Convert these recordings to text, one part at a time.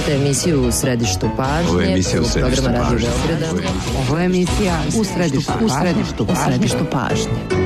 Slušajte emisiju U središtu pažnje. Ovo je emisija U središtu pažnje. Ovo je emisija U središtu pažnje.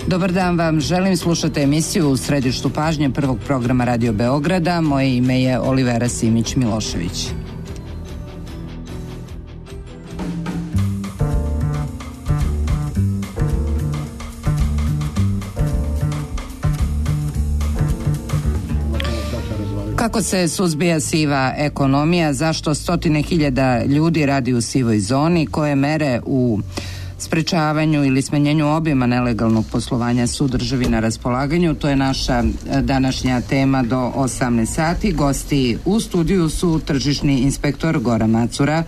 Dobar dan vam, želim slušati emisiju U središtu pažnje prvog programa Radio Beograda. Moje ime je Olivera Simić-Milošević. Kako se suzbija siva ekonomija, zašto stotine hiljada ljudi radi u sivoj zoni, koje mere u sprečavanju ili smanjenju obima nelegalnog poslovanja su državi na raspolaganju, to je naša današnja tema do 18 sati. Gosti u studiju su tržišni inspektor Goran Macura,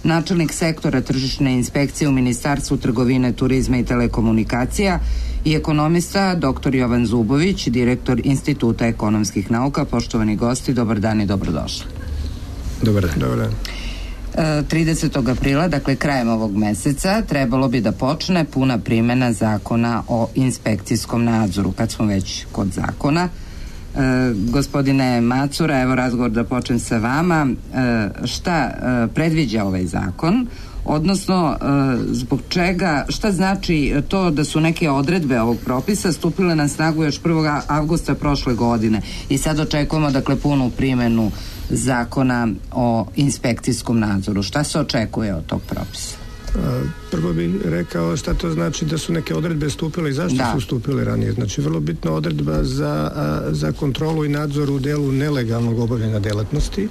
načelnik sektora tržišne inspekcije u Ministarstvu trgovine, turizma i telekomunikacija i ekonomista dr. Jovan Zubović, direktor Instituta ekonomskih nauka. Poštovani gosti, dobar dan i dobrodošli. Dobar dan. Dobar dan. 30. aprila, dakle krajem ovog meseca, trebalo bi da počne puna primjena zakona o inspekcijskom nadzoru. Kad smo već kod zakona, gospodine Macura, evo razgovor da počnem sa vama. Šta predviđa ovaj zakon? Odnosno, zbog čega, šta znači to da su neke odredbe ovog propisa stupile na snagu još 1. avgusta prošle godine i sad očekujemo, dakle, punu primjenu zakona o inspekcijskom nadzoru. Šta se očekuje od tog propisa? Prvo bih rekao šta to znači da su neke odredbe stupile i zašto su stupile ranije. Znači, vrlo bitna odredba za kontrolu i nadzor u delu nelegalnog obavljanja delatnosti,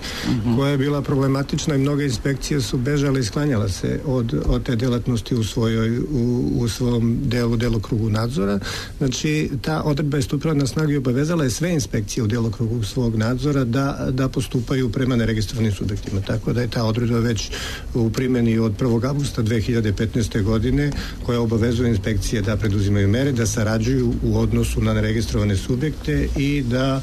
koja je bila problematična i mnoge inspekcije su bežale i sklanjala se od te delatnosti u svom delokrugu nadzora. Znači, ta odredba je stupila na snagu i obavezala je sve inspekcije u delokrugu svog nadzora da postupaju prema neregistrovanim subjektima. Tako da je ta odredba već u primjeni od 1. avgusta 2015. godine, koja obavezuje inspekcije da preduzimaju mere, da sarađuju u odnosu na neregistrovane subjekte i da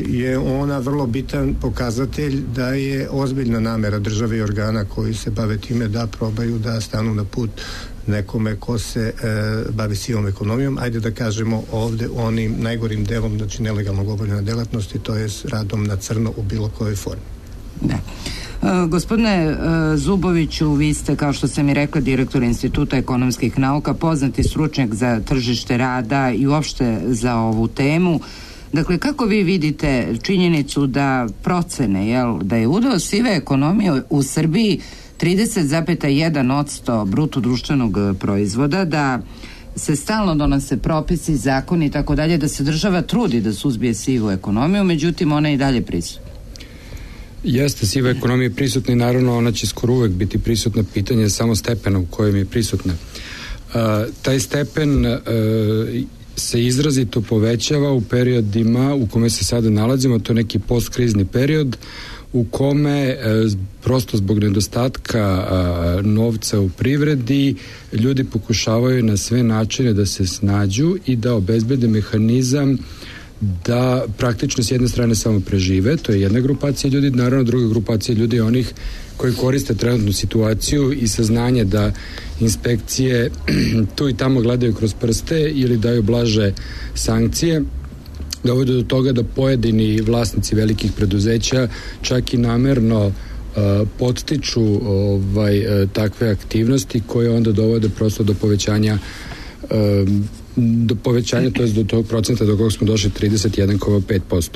je ona vrlo bitan pokazatelj da je ozbiljna namera države i organa koji se bave time da probaju da stanu na put nekome ko se bavi sivom ekonomijom, ajde da kažemo ovde onim najgorim delom, znači nelegalnog obavljanja delatnosti, to je radom na crno u bilo kojoj formi. Da. Gospodine Zuboviću, vi ste, kao što sam i rekla, direktor Instituta ekonomskih nauka, poznati stručnjak za tržište rada i uopšte za ovu temu. Dakle, kako vi vidite činjenicu da procene, da je udeo sive ekonomije u Srbiji 30,1% bruto društvenog proizvoda, da se stalno donose propisi, zakoni i tako dalje, da se država trudi da suzbije sivu ekonomiju, međutim ona je i dalje prisutna? Jeste, siva ekonomija je prisutna i naravno ona će skoro uvek biti prisutna, pitanje samo stepena u kojem je prisutna. Taj stepen se izrazito povećava u periodima u kome se sada nalazimo, to je neki postkrizni period u kome prosto zbog nedostatka novca u privredi ljudi pokušavaju na sve načine da se snađu i da obezbede mehanizam da praktično s jedne strane samo prežive, to je jedna grupacija ljudi, naravno druga grupacija ljudi je onih koji koriste trenutnu situaciju i saznanje da inspekcije tu i tamo gledaju kroz prste ili daju blaže sankcije, dovode do toga da pojedini vlasnici velikih preduzeća čak i namerno podstiču takve aktivnosti koje onda dovode prosto do povećanja to je do tog procenta do kojeg smo došli 31,5%.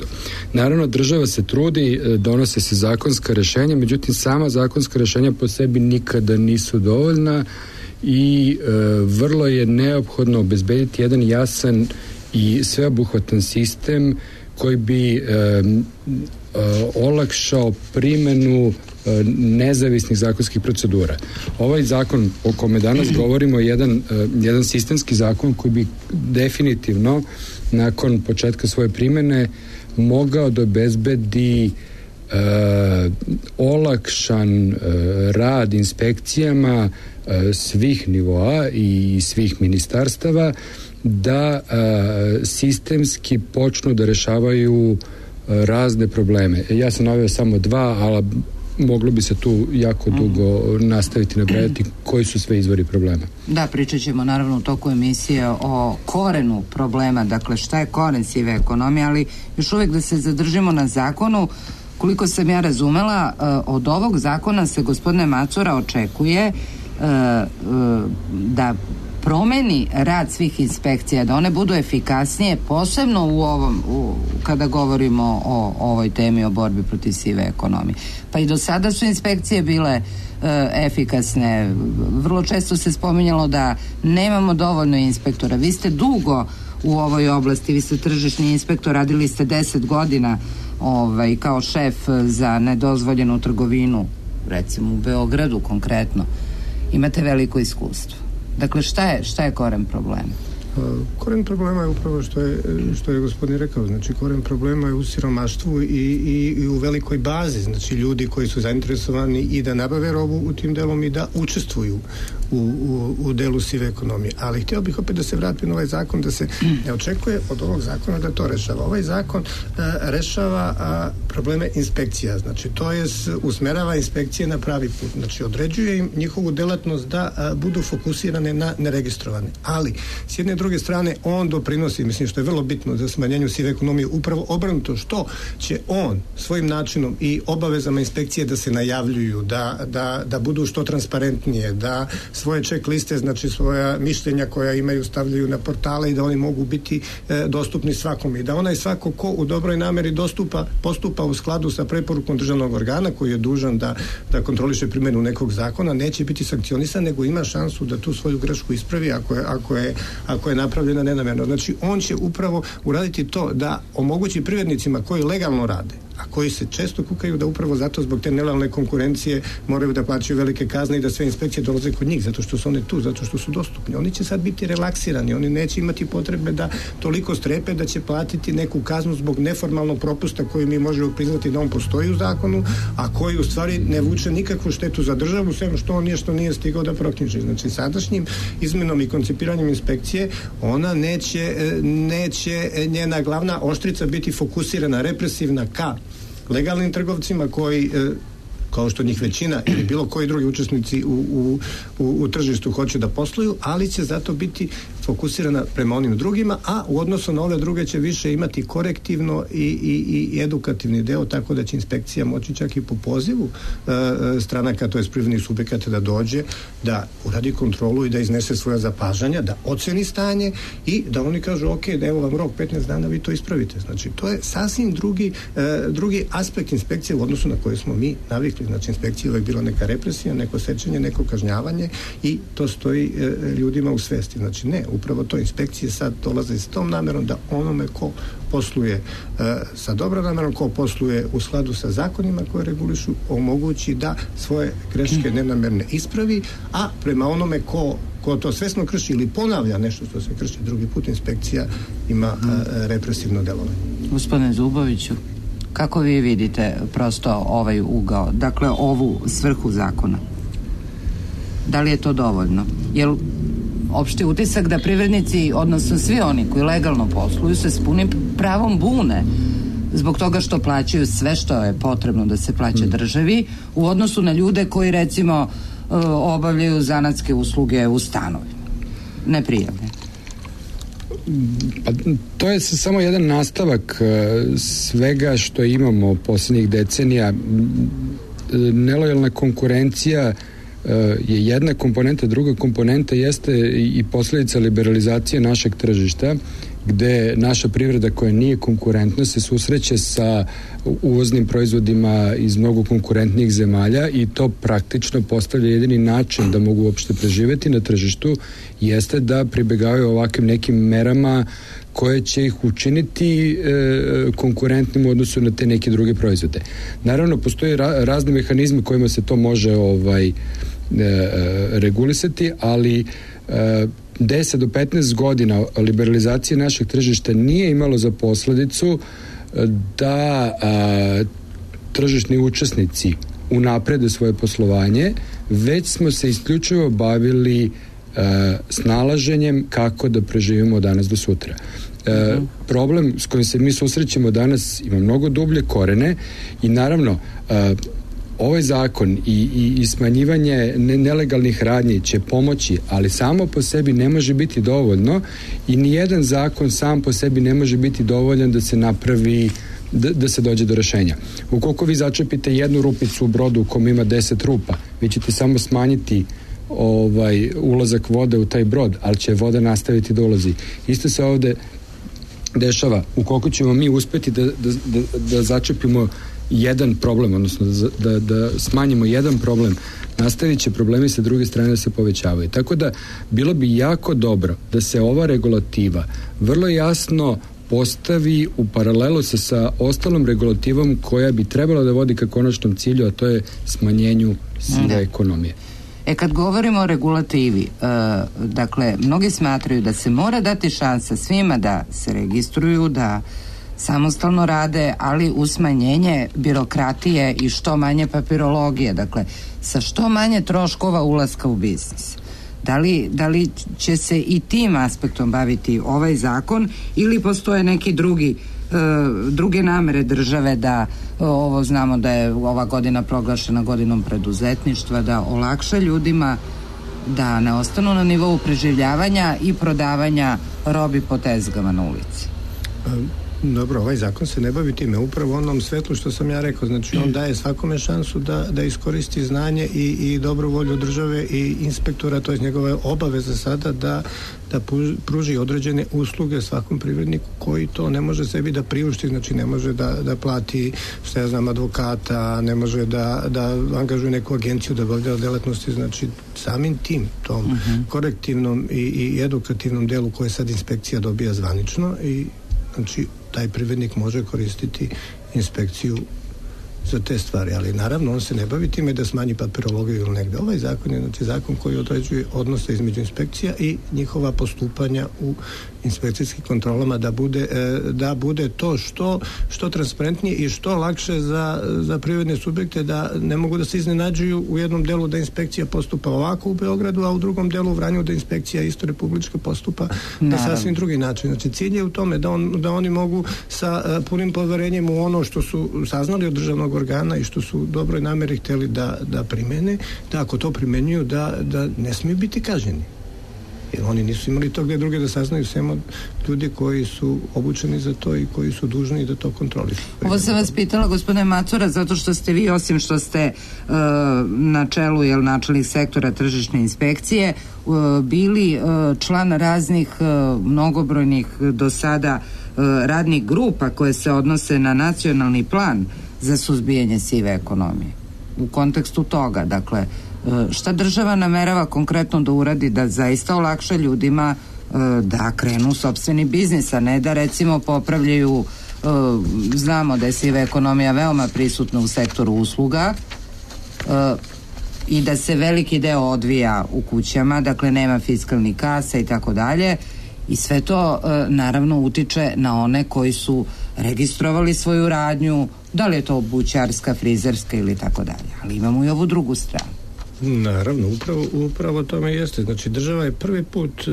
Naravno, država se trudi, donose se zakonska rešenja, međutim sama zakonska rešenja po sebi nikada nisu dovoljna i vrlo je neophodno obezbediti jedan jasan i sveobuhvatan sistem koji bi olakšao primenu nezavisnih zakonskih procedura. Ovaj zakon o kome danas govorimo je jedan sistemski zakon koji bi definitivno nakon početka svoje primene mogao da obezbedi olakšan rad inspekcijama svih nivoa i svih ministarstava da sistemski počnu da rešavaju razne probleme. Ja sam naveo samo dva, ali moglo bi se tu jako dugo nastaviti nabrajati koji su sve izvori problema. Da, pričat ćemo naravno u toku emisije o korenu problema, dakle šta je koren sive ekonomije, ali još uvijek da se zadržimo na zakonu. Koliko sam ja razumela, od ovog zakona se, gospodine Macura, očekuje da promeni rad svih inspekcija, da one budu efikasnije, posebno kada govorimo o ovoj temi o borbi protiv sive ekonomije. Pa i do sada su inspekcije bile efikasne. Vrlo često se spominjalo da nemamo dovoljno inspektora. Vi ste dugo u ovoj oblasti, vi ste tržišni inspektor, radili ste 10 godina kao šef za nedozvoljenu trgovinu, recimo u Beogradu konkretno. Imate veliko iskustvo. Dakle, šta je koren problema? Koren problema je upravo što je gospodin rekao, znači koren problema je u siromaštvu i u velikoj bazi, znači ljudi koji su zainteresovani i da nabave robu u tim delom i da učestvuju u delu sive ekonomije. Ali htio bih opet da se vratim na ovaj zakon, da se ne očekuje od ovog zakona da to rešava. Ovaj zakon rešava probleme inspekcija, znači to je usmerava inspekcije na pravi put, znači određuje im njihovu delatnost da budu fokusirane na neregistrovane. Ali, s jedne druge strane, on doprinosi, mislim što je vrlo bitno za smanjenju sive ekonomije, upravo obrnuto, što će on svojim načinom i obavezama inspekcije da se najavljuju, da budu što transparentnije, da svoje check liste, znači svoja mišljenja koja imaju stavljaju na portale i da oni mogu biti dostupni svakom i da onaj svako ko u dobroj nameri postupa u skladu sa preporukom državnog organa koji je dužan da kontroliše primjenu nekog zakona, neće biti sankcionisan, nego ima šansu da tu svoju grešku ispravi ako je napravljena nenamjerno. Znači on će upravo uraditi to da omogući privrednicima koji legalno rade, a koji se često kukaju da upravo zato zbog te nelojalne konkurencije moraju da plaćaju velike kazne i da sve inspekcije dolaze kod njih, zato što su one tu, zato što su dostupni. Oni će sad biti relaksirani, oni neće imati potrebe da toliko strepe da će platiti neku kaznu zbog neformalnog propusta koji mi možemo priznati da on postoji u zakonu, a koji u stvari ne vuče nikakvu štetu za državu, sve što on nije stigao da proknjiži. Znači sadašnjim izmenom i koncipiranjem inspekcije ona neće njena glavna oštrica biti fokusirana, represivna ka legalnim trgovcima koji, kao što njih većina ili bilo koji drugi učesnici u tržištu hoće da posluju, ali će zato biti fokusirana prema onim drugima, a u odnosu na ove druge će više imati korektivno i edukativni deo, tako da će inspekcija moći čak i po pozivu stranaka, to je privrednih subjekata, da dođe, da uradi kontrolu i da iznese svoja zapažanja, da oceni stanje i da oni kažu ok, da evo vam rok 15 dana, vi to ispravite. Znači to je sasvim drugi aspekt inspekcije u odnosu na koje smo mi navikli. Znači inspekcija je uvijek bila neka represija, neko sečenje, neko kažnjavanje i to stoji ljudima u svesti. Znači ne, upravo to inspekcije sad dolaze s tom namerom da onome ko posluje sa dobrom namerom, ko posluje u skladu sa zakonima koje regulišu, omogući da svoje greške nenamerne ispravi, a prema onome ko to svesno krši ili ponavlja nešto što se krši drugi put, inspekcija ima represivno delovanje. Gospodine Zuboviću, kako vi vidite prosto ovaj ugao, dakle ovu svrhu zakona? Da li je to dovoljno? Jel opšti utisak da privrednici, odnosno svi oni koji legalno posluju, se s punim pravom bune zbog toga što plaćaju sve što je potrebno da se plaća državi u odnosu na ljude koji recimo obavljaju zanatske usluge u stanovima, neprijavljene. Pa, to je samo jedan nastavak svega što imamo poslednjih decenija. Nelojalna konkurencija je jedna komponenta, druga komponenta jeste i posledica liberalizacije našeg tržišta, gde naša privreda koja nije konkurentna se susreće sa uvoznim proizvodima iz mnogo konkurentnijih zemalja i to praktično postavlja jedini način da mogu uopšte preživeti na tržištu jeste da pribegavaju ovakvim nekim merama koje će ih učiniti konkurentnim u odnosu na te neke druge proizvode. Naravno, postoje razni mehanizmi kojima se to može regulisati, ali 10 do 15 godina liberalizacije našeg tržišta nije imalo za posledicu da tržišni učesnici unaprede svoje poslovanje, već smo se isključivo bavili snalaženjem kako da preživimo od danas do sutra. Problem s kojim se mi susrećemo danas ima mnogo dublje korene i naravno ovaj zakon i smanjivanje nelegalnih radnji će pomoći, ali samo po sebi ne može biti dovoljno i nijedan zakon sam po sebi ne može biti dovoljan da se napravi, da se dođe do rešenja. Ukoliko vi začepite jednu rupicu u brodu u kom ima 10 rupa, vi ćete samo smanjiti ulazak vode u taj brod, ali će voda nastaviti da ulazi. Isto se ovde dešava. Ukoliko ćemo mi uspeti da začepimo jedan problem, odnosno da smanjimo jedan problem, nastavit će problemi sa druge strane da se povećavaju. Tako da bilo bi jako dobro da se ova regulativa vrlo jasno postavi u paralelu sa ostalom regulativom koja bi trebala da vodi ka konačnom cilju, a to je smanjenju sive ekonomije. Kad govorimo o regulativi, dakle, mnogi smatraju da se mora dati šansa svima da se registruju, da samostalno rade, ali uz smanjenje birokratije i što manje papirologije, dakle, sa što manje troškova ulaska u biznis. Da li će se i tim aspektom baviti ovaj zakon ili postoje neki druge namere države da ovo znamo da je ova godina proglašena godinom preduzetništva, da olakša ljudima da ne ostanu na nivou preživljavanja i prodavanja robi po tezgama na ulici? Dobro, ovaj zakon se ne bavi time, upravo onom svetlu što sam ja rekao, znači on daje svakome šansu da iskoristi znanje i dobru volju države i inspektora, to je njegova obaveza sada da pruži određene usluge svakom privredniku koji to ne može sebi da priušti, znači ne može da plati, što ja znam, advokata, ne može da angažuje neku agenciju da obavlja delatnosti, znači samim tim, tom korektivnom i edukativnom delu koje sad inspekcija dobija zvanično i znači taj privrednik može koristiti inspekciju za te stvari, ali naravno on se ne bavi time da smanji papirologiju ili negde. Ovaj zakon je znači zakon koji određuje odnose između inspekcija i njihova postupanja u inspekcijskim kontrolama da bude to što transparentnije i što lakše za privredne subjekte, da ne mogu da se iznenađuju u jednom delu da inspekcija postupa ovako u Beogradu, a u drugom delu u Vranju da inspekcija isto republička postupa na sasvim drugi način. Znači cilj je u tome da oni mogu sa punim poverenjem u ono što su saznali od državnog organa i što su dobroj nameri hteli da primene, da ako to primenjuju da ne smiju biti kažnjeni. Jer oni nisu imali to gde druge da saznaju, sem od ljudi koji su obučeni za to i koji su dužni da to kontrolišu. Ovo sam vas pitala, gospodine Macura, zato što ste vi, osim što ste na čelu načelnih sektora tržišne inspekcije, bili član raznih mnogobrojnih do sada radnih grupa koje se odnose na nacionalni plan za suzbijanje sive ekonomije. U kontekstu toga, dakle, šta država namerava konkretno da uradi da zaista olakša ljudima da krenu sopstveni biznis, a ne da recimo popravljaju, znamo da je siva ekonomija veoma prisutna u sektoru usluga i da se veliki deo odvija u kućama, dakle nema fiskalnih kasa i tako dalje, i sve to naravno utiče na one koji su registrovali svoju radnju, da li je to bućarska, frizerska ili tako dalje, ali imamo i ovu drugu stranu. Naravno, upravo tome jeste. Znači, država je prvi put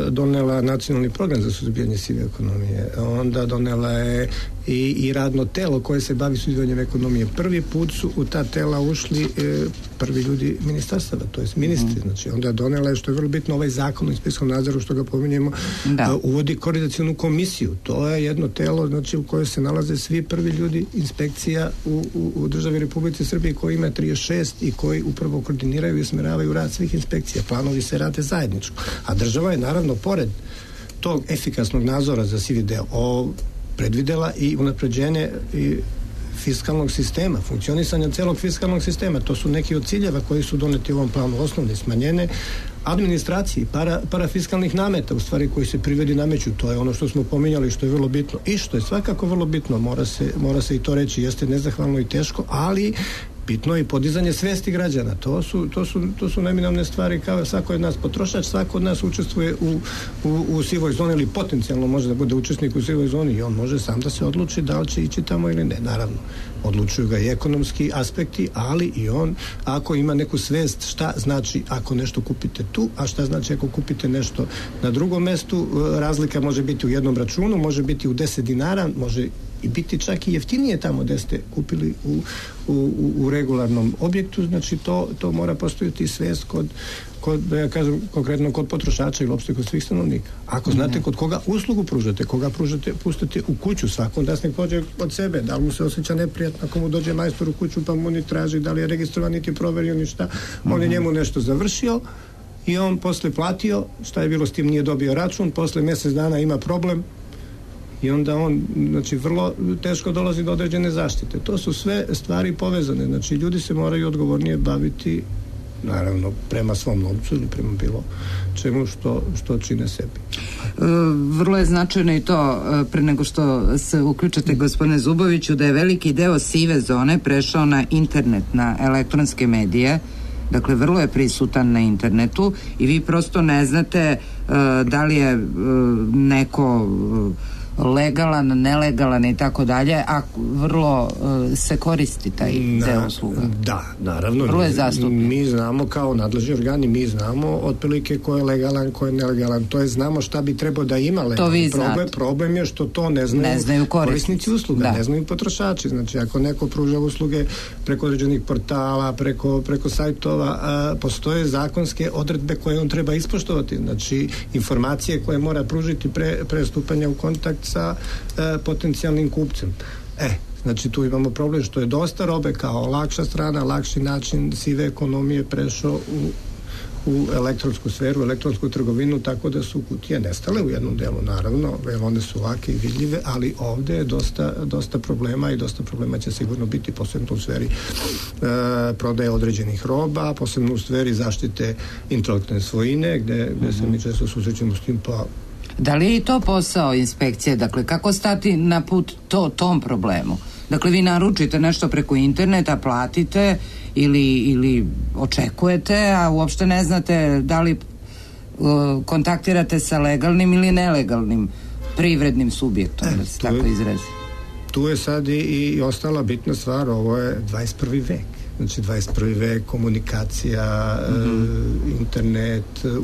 donela nacionalni program za suzbijanje sive ekonomije. Onda donela je i radno telo koje se bavi suzbijanjem ekonomije. Prvi put su u ta tela ušli prvi ljudi ministarstava, to jest ministri. Znači, onda je donela, što je vrlo bitno, ovaj zakon o inspekcijskom nadzoru, što ga pominjemo, uvodi koordinacionu komisiju. To je jedno telo, znači, u kojoj se nalaze svi prvi ljudi inspekcija u državi Republike Srbije, koji ima 36 i koji upravo koordiniraju i usmeravaju rad svih inspekcija. Planovi se rade zajedničko. A država je, naravno, pored tog efikasnog nadzora za sivi deo predvidela i unapređenje i fiskalnog sistema, funkcionisanja celog fiskalnog sistema. To su neki od ciljeva koji su doneti u ovom planu, osnovne smanjene administraciji, parafiskalnih nameta, u stvari koji se privredi nameću. To je ono što smo pominjali, što je vrlo bitno. I što je svakako vrlo bitno, mora se i to reći, jeste nezahvalno i teško, ali bitno je i podizanje svesti građana. To su neminovne stvari, kao svako od nas potrošač, svako od nas učestvuje u sivoj zoni ili potencijalno može da bude učesnik u sivoj zoni i on može sam da se odluči da li će ići tamo ili ne. Naravno, odlučuju ga i ekonomski aspekti, ali i on ako ima neku svest šta znači ako nešto kupite tu, a šta znači ako kupite nešto na drugom mestu. Razlika može biti u jednom računu, može biti u 10 dinara, može i biti čak i jeftinije tamo gde ste kupili u regularnom objektu. Znači to mora postojati svest kod, da ja kažem, konkretno kod potrošača ili uopšte kod svih stanovnika. Ako znate kod koga uslugu pružate, pustate u kuću, svakom da se pođe od sebe, da li mu se osjeća neprijatno ako mu dođe majstor u kuću pa mu ni traži da li je registrovan, niti proverio ništa, on je njemu nešto završio i on posle platio, šta je bilo s tim, nije dobio račun, posle mjesec dana ima problem i onda on, znači, vrlo teško dolazi do određene zaštite. To su sve stvari povezane. Znači, ljudi se moraju odgovornije baviti, naravno, prema svom novcu ili prema bilo čemu što čine sebi. Vrlo je značajno i to, pre nego što se uključate, gospodine Zuboviću, da je veliki deo sive zone prešao na internet, na elektronske medije. Dakle, vrlo je prisutan na internetu i vi prosto ne znate da li je neko legalan, nelegalan i tako dalje, a vrlo se koristi taj deo usluga. Da, naravno. Vrlo je zastupljen. Mi znamo kao nadležni organi, mi znamo otprilike ko je legalan, ko je nelegalan. To je, znamo šta bi trebao da ima legalan. To vi znate. Problem je što to ne znaju korisnici usluga, ne znaju potrošači. Znači, ako neko pruža usluge preko određenih portala, preko sajtova, postoje zakonske odredbe koje on treba ispoštovati. Znači, informacije koje mora pružiti pre stupanja u kontakt sa potencijalnim kupcem. Znači tu imamo problem što je dosta robe kao lakša strana, lakši način sive ekonomije prešao u elektronsku sferu, elektronsku trgovinu, tako da su kutije nestale u jednom delu, naravno, jer one su lake i vidljive, ali ovde je dosta problema i dosta problema će sigurno biti, posebno u sferi prodaje određenih roba, posebno u sferi zaštite intelektualne svojine, gde se mi često susrećemo s tim. Da li je i to posao inspekcije? Dakle, kako stati na put tom problemu? Dakle, vi naručite nešto preko interneta, platite ili očekujete, a uopšte ne znate da li kontaktirate sa legalnim ili nelegalnim privrednim subjektom, da se tako izrazi. Tu je sad i ostala bitna stvar, ovo je 21. vek. Znači 21. vek, komunikacija, internet,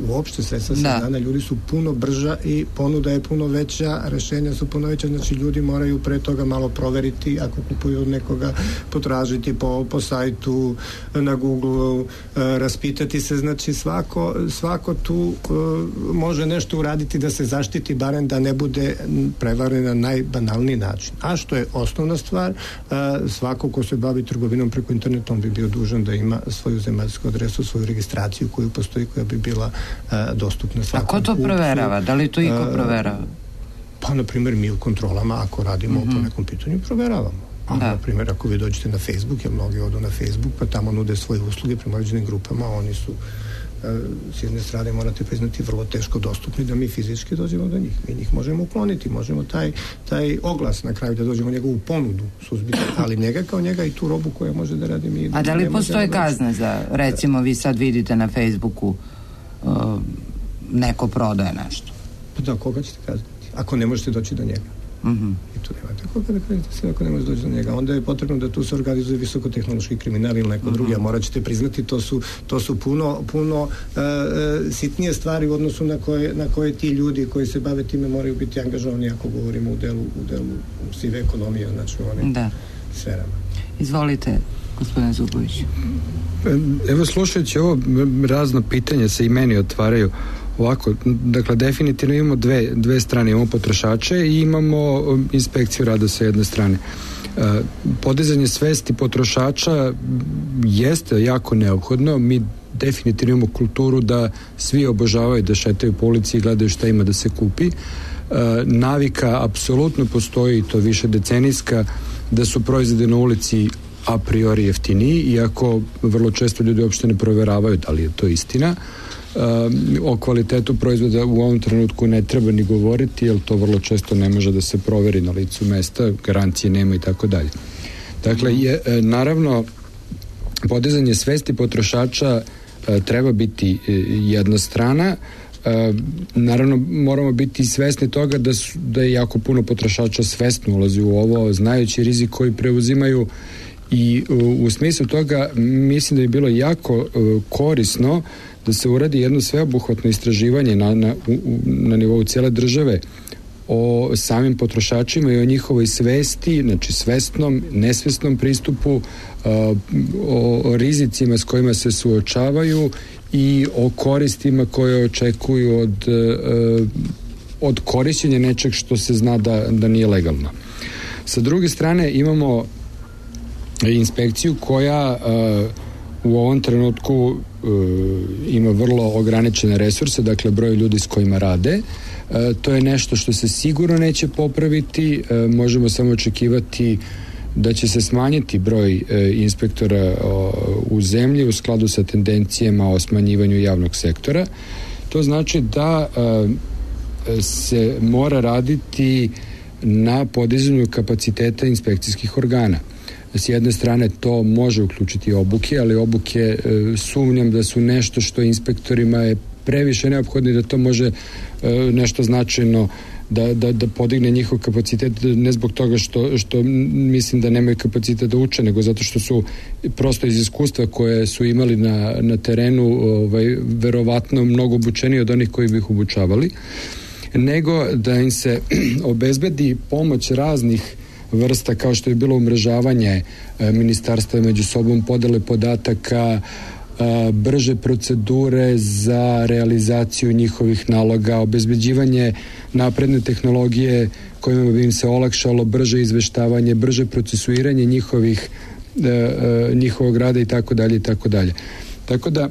uopšte sredstva dana, ljudi su puno brža i ponuda je puno veća, rešenja su puno veća, znači ljudi moraju pre toga malo proveriti, ako kupuju od nekoga, potražiti po sajtu, na Google, raspitati se, znači svako tu može nešto uraditi da se zaštiti, barem da ne bude prevaren na najbanalniji način. A što je osnovna stvar, svako ko se bavi trgovinom preko interneta, bi bio dužan da ima svoju zemaljsku adresu, svoju registraciju koju postoji, koja bi bila dostupna svakom. A ko to proverava? Da li to iko proverava? Pa, na primjer, mi u kontrolama, ako radimo po nekom pitanju, proveravamo. A, na primjer, ako vi dođete na Facebook, jer mnogi odu na Facebook, pa tamo nude svoje usluge prema određenim grupama, oni su s jedne strane, morate priznati, vrlo teško dostupni da mi fizički dođemo do njih. Mi njih možemo ukloniti, možemo taj oglas na kraju da dođemo njegovu ponudu suzbiti, ali njega kao njega i tu robu koja može da radi mi. A da li postoje kazne za, recimo, vi sad vidite na Facebooku neko prodaje nešto? Pa da, koga ćete kazniti? Ako ne možete doći do njega. I tu nema tako kada krenete sve ako ne može doći do njega. Onda je potrebno da tu se organizuje visokotehnološki kriminal ili neko drugi, a morat ćete priznati to su puno sitnije stvari u odnosu na koje ti ljudi koji se bave time moraju biti angažovani ako govorimo u delu sive ekonomije, znači u onim sferama. Izvolite, gospodine Zubović. Evo, slušajući ovo, razno pitanja se i meni otvaraju. Ovako, dakle, definitivno imamo dve strane, imamo potrošače i imamo inspekciju rada sa jedne strane. Podizanje svesti potrošača jeste jako neophodno. Mi definitivno imamo kulturu da svi obožavaju da šetaju po ulici i gledaju šta ima da se kupi. Navika apsolutno postoji, to više decenijska, da su proizvodi na ulici a priori jeftiniji, iako vrlo često ljudi uopšte ne proveravaju da li je to istina. O kvalitetu proizvoda u ovom trenutku ne treba ni govoriti, jer to vrlo često ne može da se proveri na licu mesta, garancije nema i tako dalje. Dakle, naravno, podizanje svesti potrošača treba biti jedna strana. Naravno, moramo biti svesni toga da je jako puno potrošača svesno ulazi u ovo, znajući rizik koji preuzimaju, i u smislu toga mislim da je bilo jako korisno da se uradi jedno sveobuhvatno istraživanje na nivou cijele države o samim potrošačima i o njihovoj svesti, znači svesnom, nesvesnom pristupu, o rizicima s kojima se suočavaju i o koristima koje očekuju od korišćenja nečeg što se zna da nije legalno. Sa druge strane imamo inspekciju koja u ovom trenutku ima vrlo ograničene resurse, dakle broj ljudi s kojima rade. To je nešto što se sigurno neće popraviti, možemo samo očekivati da će se smanjiti broj inspektora u zemlji u skladu sa tendencijama o smanjivanju javnog sektora. To znači da se mora raditi na podizanju kapaciteta inspekcijskih organa. S jedne strane to može uključiti obuke, ali obuke sumnjam da su nešto što inspektorima je previše neophodno, da to može nešto značajno da podigne njihov kapacitet, ne zbog toga što mislim da nemaju kapacitet da uče, nego zato što su prosto iz iskustva koje su imali na terenu verovatno mnogo obučeniji od onih koji bi ih obučavali, nego da im se obezbedi pomoć raznih vrsta, kao što je bilo umrežavanje ministarstva među sobom, podele podataka, brže procedure za realizaciju njihovih naloga, obezbeđivanje napredne tehnologije kojima bi im se olakšalo brže izveštavanje, brže procesuiranje njihovog rada i tako dalje i tako dalje. Tako da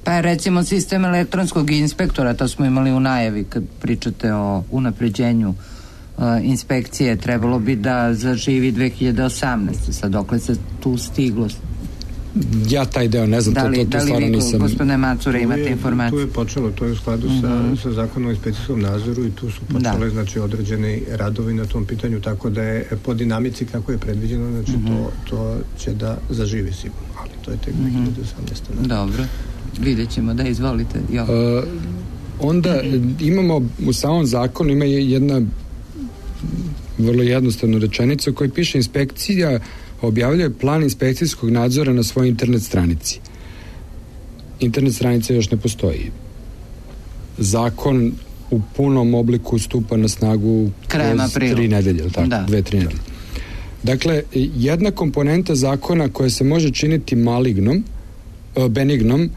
pa recimo sistem elektronskog inspektora, to smo imali u najavi kad pričate o unapređenju inspekcije, trebalo bi da zaživi 2018. Sad dokle se tu stiglo? Ja taj deo ne znam, da li vi, gospodine Macura, imate informacije? Tu je počelo, to je u skladu sa zakonom o inspekcijskom nadzoru i tu su počele znači određeni radovi na tom pitanju, tako da je po dinamici kako je predviđeno, znači to će da zaživi sigurno, ali to je tek 2018. Dobro, vidjet ćemo, da izvolite. Onda imamo u samom zakonu ima jedna vrlo jednostavna rečenica u kojoj piše: inspekcija objavljuje plan inspekcijskog nadzora na svojoj internet stranici. Internet stranica još ne postoji. Zakon u punom obliku stupa na snagu krajem aprila. 3 nedelje, tako? 2-3 nedelje. Dakle, jedna komponenta zakona koja se može činiti benignom,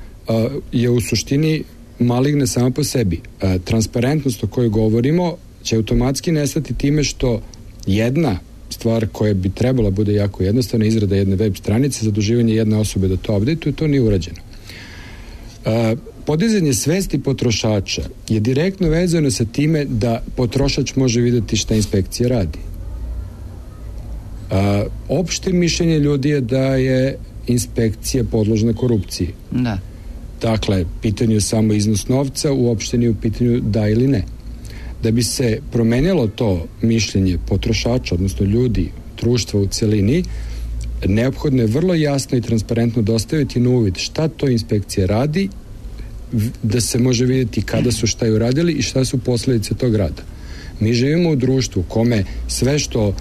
je u suštini maligna sama po sebi. Transparentnost o kojoj govorimo će automatski nestati time što jedna stvar koja bi trebala bude jako jednostavna, izrada jedne web stranice, zaduživanje jedne osobe da to update-uje, to nije urađeno. Podizanje svesti potrošača je direktno vezano sa time da potrošač može vidjeti šta inspekcija radi. Opšte mišljenje ljudi je da je inspekcija podložna korupciji. Da. Dakle, pitanje je samo iznos novca, uopšte nije u pitanju da ili ne. Da bi se promenilo to mišljenje potrošača, odnosno ljudi, društva u celini, neophodno je vrlo jasno i transparentno dostaviti na uvid šta to inspekcija radi, da se može vidjeti kada su šta i uradili i šta su posledice tog rada. Mi živimo u društvu kome sve što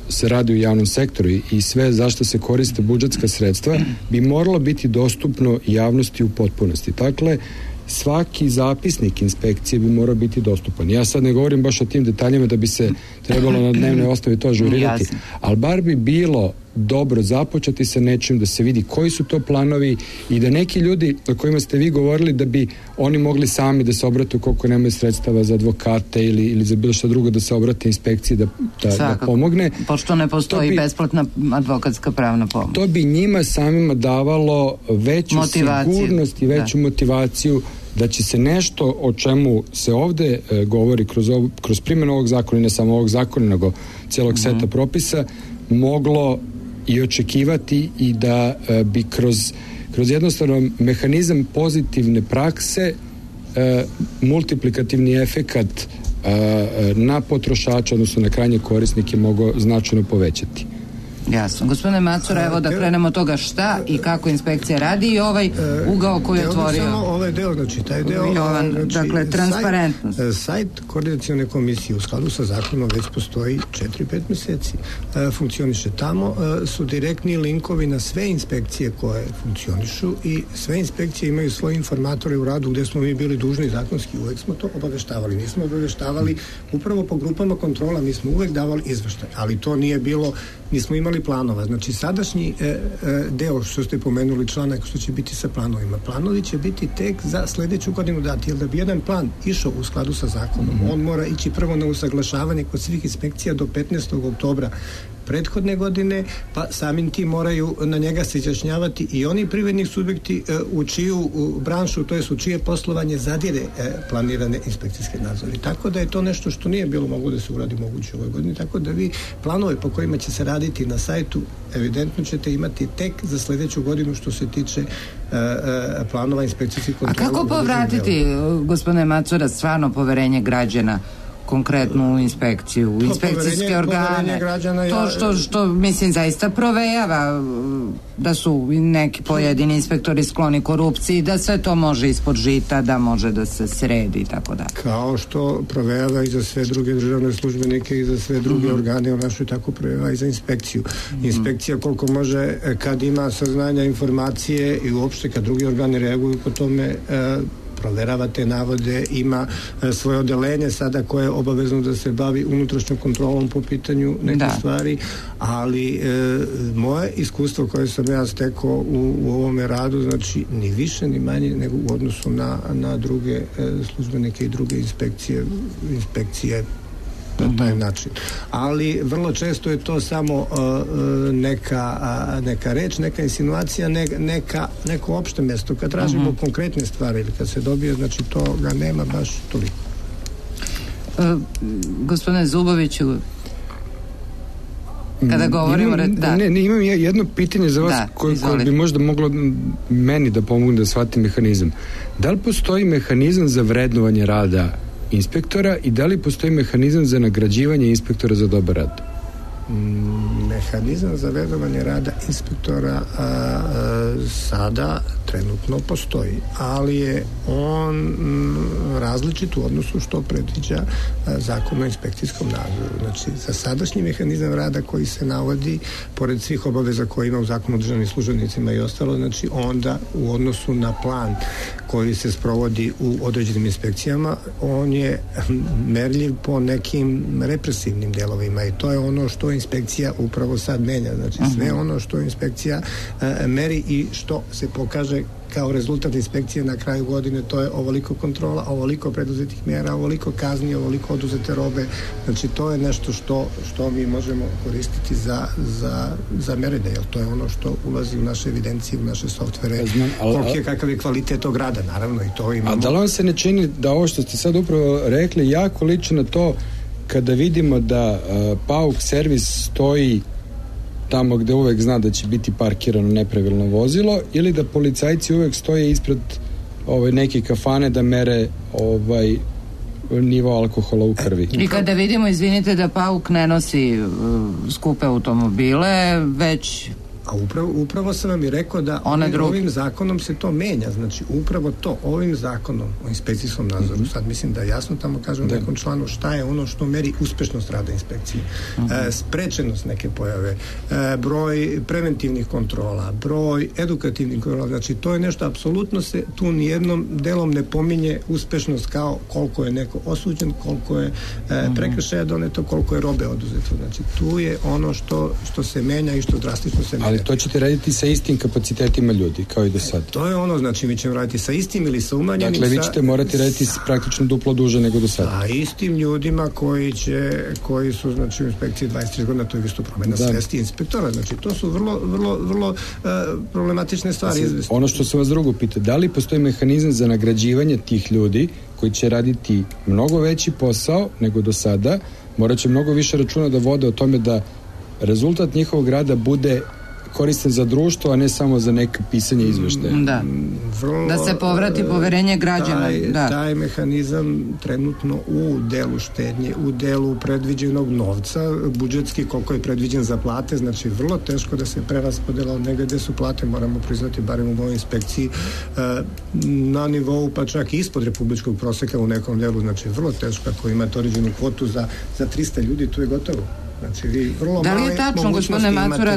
se radi u javnom sektoru i sve zašto se koriste budžetska sredstva bi moralo biti dostupno javnosti u potpunosti. Dakle, svaki zapisnik inspekcije bi morao biti dostupan. Ja sad ne govorim baš o tim detaljima da bi se trebalo na dnevnoj osnovi to ažurirati, ali bar bi bilo dobro započeti sa nečim, da se vidi koji su to planovi i da neki ljudi o kojima ste vi govorili da bi oni mogli sami da se obrate koliko nemaju sredstava za advokate ili za bilo što drugo, da se obrate inspekciji da pomogne. Pošto ne postoji besplatna advokatska pravna pomoć. To bi njima samima davalo veću sigurnost i veću motivaciju da će se nešto o čemu se ovde govori kroz primjenu ovog zakona, i ne samo ovog zakona, nego celog seta propisa, moglo i očekivati i da bi kroz jednostavno mehanizam pozitivne prakse multiplikativni efekat na potrošača, odnosno na krajnje korisnike, mogao značajno povećati. Jasno. Gospodine Macura, evo da krenemo od toga šta i kako inspekcija radi i ovaj ugao koji je otvorio. Samo ovaj deo, znači taj deo, dakle, transparentnost. Sajt koordinacione komisije u skladu sa zakonom već postoji 4-5 meseci. Funkcioniše tamo, su direktni linkovi na sve inspekcije koje funkcionišu i sve inspekcije imaju svoje informatore u radu gde smo mi bili dužni zakonski, uvek smo to obaveštavali. Nismo obaveštavali upravo po grupama kontrola, mi smo uvek davali izveštaj, ali to nije bilo, nismo imali planova. Znači, sadašnji deo što ste pomenuli, članak što će biti sa planovima. Planovi će biti tek za sledeću godinu dati, jer da bi jedan plan išao u skladu sa zakonom, on mora ići prvo na usaglašavanje kod svih inspekcija do 15. oktobra prethodne godine, pa samim tim moraju na njega se izjašnjavati i oni privredni subjekti u čiju branšu, to jest u čije poslovanje zadire planirane inspekcijske nadzore. Tako da je to nešto što nije bilo mogu da se uradi moguće u ovoj godini, tako da vi planove po kojima će se raditi na sajtu evidentno ćete imati tek za sledeću godinu što se tiče planova inspekcijskih kontrola. A kako povratiti, gospodine Macura, stvarno poverenje građana konkretnu u inspekciju, u inspekcijske organe, to što mislim zaista provejava da su neki pojedini inspektori skloni korupciji, da sve to može ispod žita, da može da se sredi i tako dalje. Kao što provejava i za sve druge državne službenike i za sve druge organe u našoj, tako provejava i za inspekciju. Inspekcija koliko može, kad ima saznanja, informacije i uopšte kad drugi organi reaguju po tome, proverava te navode, ima svoje odeljenje sada koje je obavezno da se bavi unutrašnjom kontrolom po pitanju neke stvari, ali moje iskustvo koje sam ja stekao u ovome radu, znači ni više ni manje nego u odnosu na druge službenike i druge inspekcije na taj način. Ali vrlo često je to samo neka reč, neka insinuacija, neko opšte mesto. Kad tražimo konkretne stvari ili kad se dobije, znači to ga nema baš toliko. Gospodine Zuboviću, kada govorimo... Imam jedno pitanje za vas koje bi možda moglo meni da pomogne da shvatim mehanizam. Da li postoji mehanizam za vrednovanje rada inspektora i da li postoji mehanizam za nagrađivanje inspektora za dobar rad? Mehanizam za vrednovanje rada inspektora sada trenutno postoji, ali je on različit u odnosu što predviđa Zakon o inspekcijskom nadzoru. Znači, za sadašnji mehanizam rada koji se navodi, pored svih obaveza koje ima u Zakonu o državnim službenicima i ostalo, znači onda u odnosu na plan koji se sprovodi u određenim inspekcijama, on je merljiv po nekim represivnim delovima i to je ono što inspekcija upravo sad menja. Znači, sve ono što inspekcija meri i što se pokaže kao rezultat inspekcije na kraju godine, to je ovoliko kontrola, ovoliko preduzetih mjera, ovoliko kazni, ovoliko oduzete robe. Znači, to je nešto što mi možemo koristiti za merenje, jer to je ono što ulazi u naše evidencije, u naše softvere, kakav je kvalitet tog rada, naravno, i to imamo. A da li vam se ne čini da ovo što ste sad upravo rekli jako liči na to kada vidimo da PAUK servis stoji tamo gde uvek zna da će biti parkirano nepravilno vozilo, ili da policajci uvek stoje ispred neke kafane da mere nivo alkohola u krvi. I kada vidimo, izvinite, da PAUK ne nosi skupe automobile, već A upravo sam vam i rekao da ovim zakonom se to menja, znači upravo to, ovim zakonom o inspekcijskom nadzoru, sad mislim da jasno tamo kažem u nekom članu šta je ono što meri uspešnost rada inspekcije, sprečenost neke pojave, broj preventivnih kontrola, broj edukativnih kontrola, znači to je nešto, apsolutno se tu nijednom delom ne pominje uspešnost kao koliko je neko osuđen, koliko je prekršaja doneto, koliko je robe oduzeto, znači tu je ono što se menja i što drastično se menja. Ali to ćete raditi sa istim kapacitetima ljudi, kao i do sada. To je ono, znači mi ćemo raditi sa istim ili sa umanjenim. Dakle, vi ćete morati raditi praktično duplo duže nego do sada. A istim ljudima koji su, znači, u inspekciji 23 godina, to je isto promena svesti inspektora, znači to su vrlo problematične stvari. Ono što sam vas drugo pitao, da li postoji mehanizam za nagrađivanje tih ljudi koji će raditi mnogo veći posao nego do sada, morat će mnogo više računa da vode o tome da rezultat njihovog rada bude koristan za društvo, a ne samo za neko pisanje izveštaja. Da se povrati poverenje građana. Taj mehanizam trenutno u delu štednje, u delu predviđenog novca, budžetski koliko je predviđen za plate, znači vrlo teško da se preraspodela od negde gde su plate, moramo priznati, barem u mojoj inspekciji, na nivou pa čak i ispod republičkog proseka u nekom delu, znači vrlo teško ako imate određenu kvotu za 300 ljudi, tu je gotovo. Znači, da li je tačno, gospodine Macura,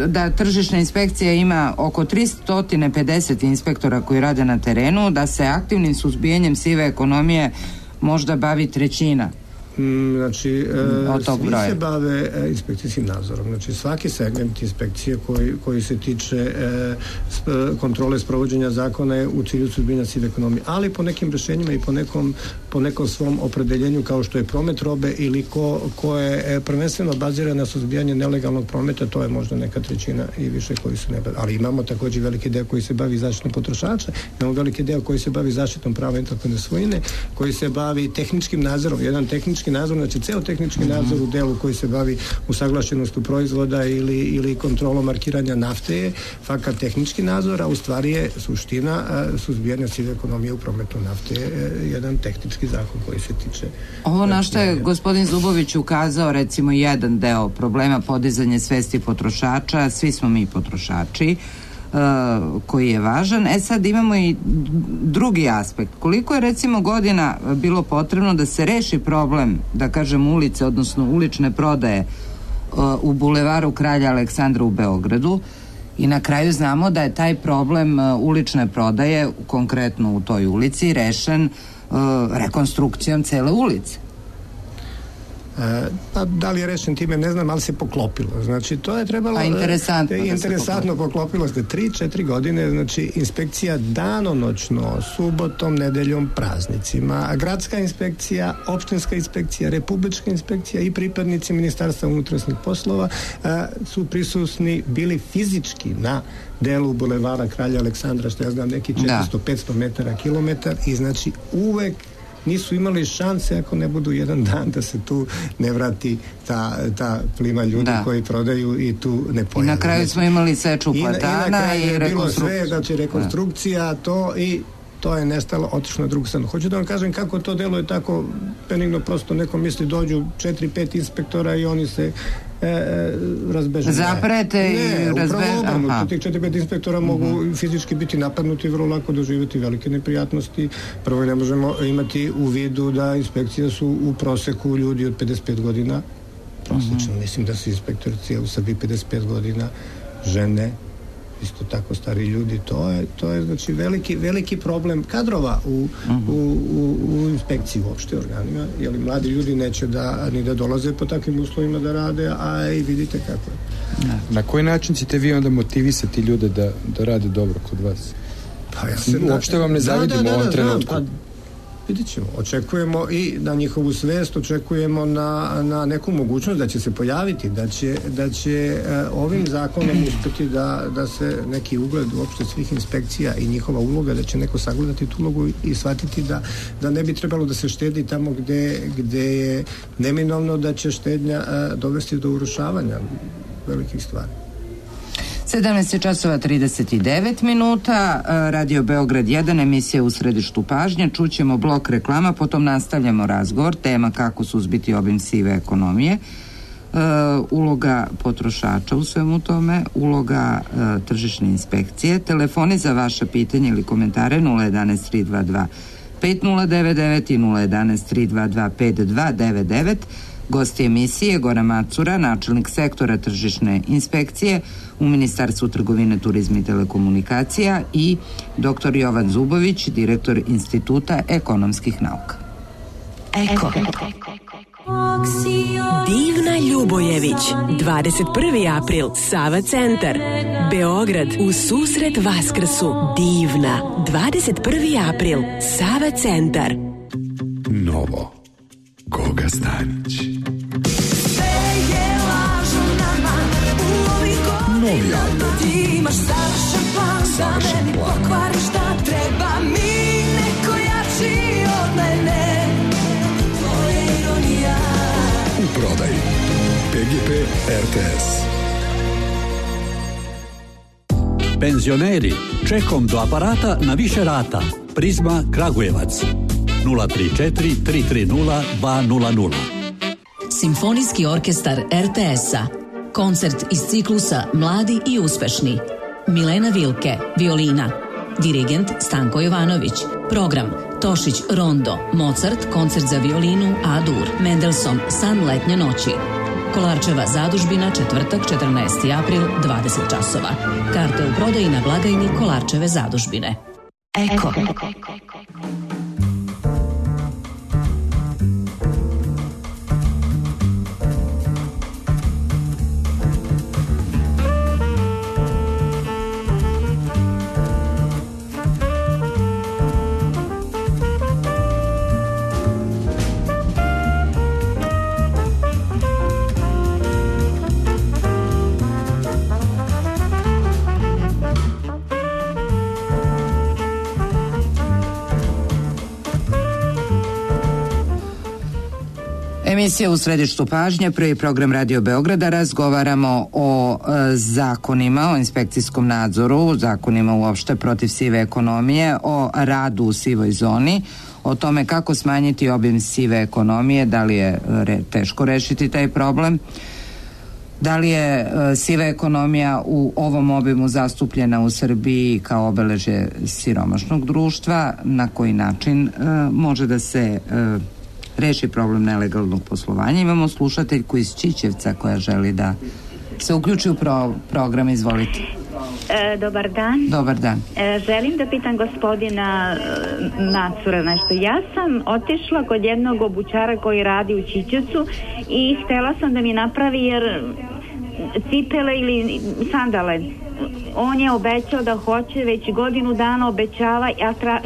da tržišna inspekcija ima oko 350 inspektora koji rade na terenu, da se aktivnim suzbijanjem sive ekonomije možda bavi trećina? Znači, svi se bave inspekcijskim nadzorom. Znači, svaki segment inspekcije koji se tiče kontrole sprovođenja zakona je u cilju suzbijanja sive ekonomije, ali po nekim rešenjima i po nekom svom opredeljenju, kao što je promet robe ili ko je prvenstveno baziran na suzbijanje nelegalnog prometa, to je možda neka trećina i više koji se ne bavi. Ali imamo također veliki deo koji se bavi zaštitom potrošača, imamo veliki deo koji se bavi zaštitom prava intelektualne svojine, koji se bavi tehničkim nadzorom, jedan tehnički nadzor, znači ceo tehnički nadzor u delu koji se bavi usaglašenostu proizvoda ili kontrolom markiranja nafte je fakat tehnički nadzor, a u stvari je suština suzbijanja sive ekonomije u prometu nafte je jedan tehnički zakon koji se tiče. Ovo na što je gospodin Zubović ukazao, recimo jedan deo problema podizanje svesti potrošača, svi smo mi potrošači, koji je važan. Sad imamo i drugi aspekt. Koliko je recimo godina bilo potrebno da se reši problem, da kažem, ulice, odnosno ulične prodaje u bulevaru Kralja Aleksandra u Beogradu, i na kraju znamo da je taj problem ulične prodaje, konkretno u toj ulici, rešen rekonstrukcijom cele ulice. Pa da li je rešen time, ne znam, ali se poklopilo. Znači, to je trebalo... Interesantno poklopilo se 3-4 godine, znači, inspekcija danonoćno, subotom, nedeljom, praznicima, gradska inspekcija, opštinska inspekcija, republička inspekcija i pripadnici Ministarstva unutrašnjih poslova su prisutni bili fizički na delu bulevara Kralja Aleksandra, što ja znam, neki 400-500 metara, kilometar, i znači uvek nisu imali šanse ako ne budu jedan dan da se tu ne vrati ta plima ljudi koji prodaju i tu ne pojavi. I na kraju smo imali seču platana i rekonstrukciju. Znači rekonstrukcija, to je nestalo, otišlo na drugu stranu. Hoću da vam kažem kako to deluje tako benigno, prosto neko misli dođu 4-5 inspektora i oni se razbeže. Zaprete i razbeže. Tih 4-5 inspektora mogu fizički biti napadnuti i vrlo lako doživjeti velike neprijatnosti. Prvo ne možemo imati u vidu da inspekcija su u proseku ljudi od 55 godina. Prosječno, mislim da su inspektorici u Srbiji 55 godina, žene, isto tako stari ljudi, to je znači veliki problem kadrova u inspekciji uopšte organima, jer mladi ljudi neće ni da dolaze po takvim uslovima da rade, a i vidite kako je. Na koji način ćete vi onda motivisati ljude da rade dobro kod vas? Uopšte vam ne zavidimo u ovom trenutku. Vidjet ćemo. Očekujemo i na njihovu svest, očekujemo na neku mogućnost da će se pojaviti, da će ovim zakonom uspeti da se neki ugled uopšte svih inspekcija i njihova uloga, da će neko sagledati tu ulogu i shvatiti da ne bi trebalo da se štedi tamo gde je neminovno da će štednja dovesti do urušavanja velikih stvari. 17:39, Radio Beograd 1, emisija U središtu pažnje. Čućemo blok reklama, potom nastavljamo razgovor, tema kako suzbiti obim sive ekonomije. uloga potrošača u svemu tome, uloga tržišne inspekcije. Telefoni za vaše pitanje ili komentare 011 322 5099 i 011 322 5299. Gosti emisije Goran Macura, načelnik sektora tržišne inspekcije u Ministarstvu trgovine, turizma i telekomunikacija, i dr. Jovan Zubović, direktor Instituta ekonomskih nauka. Eko. Divna Ljubojević, 21. april, Sava centar, Beograd, u susret Vaskrsu. Divna, 21. april, Sava centar. Novo, Goga Stanić. Novi album. Savršen plan. U prodaji PGP RTS. Penzioneri, čekom do aparata na više rata. Prizma Kragujevac 034 330 200. Simfonijski orkestar RTS-a. Koncert iz ciklusa Mladi i uspešni. Milena Vilke, violina. Dirigent Stanko Jovanović. Program Tošić Rondo, Mozart, koncert za violinu A-dur, Mendelson, San letnje noći. Kolarčeva zadužbina, četvrtak, 14. april, 20 časova. Karte u prodaji na blagajni Kolarčeve zadužbine. Eko. Emisija U središtu pažnje, prvi program Radio Beograda. Razgovaramo o zakonima, o inspekcijskom nadzoru, zakonima uopšte protiv sive ekonomije, o radu u sivoj zoni, o tome kako smanjiti obim sive ekonomije, da li je teško rešiti taj problem, da li je siva ekonomija u ovom obimu zastupljena u Srbiji kao obeležje siromašnog društva, na koji način može da se reši problem nelegalnog poslovanja. Imamo slušateljku iz Ćićevca koja želi da se uključi u program. Izvolite. Dobar dan. Dobar dan. Želim da pitam gospodina Macura nešto. Ja sam otišla kod jednog obućara koji radi u Ćićevcu i htela sam da mi napravi cipele ili sandale. On je obećao da hoće, već godinu dana obećava,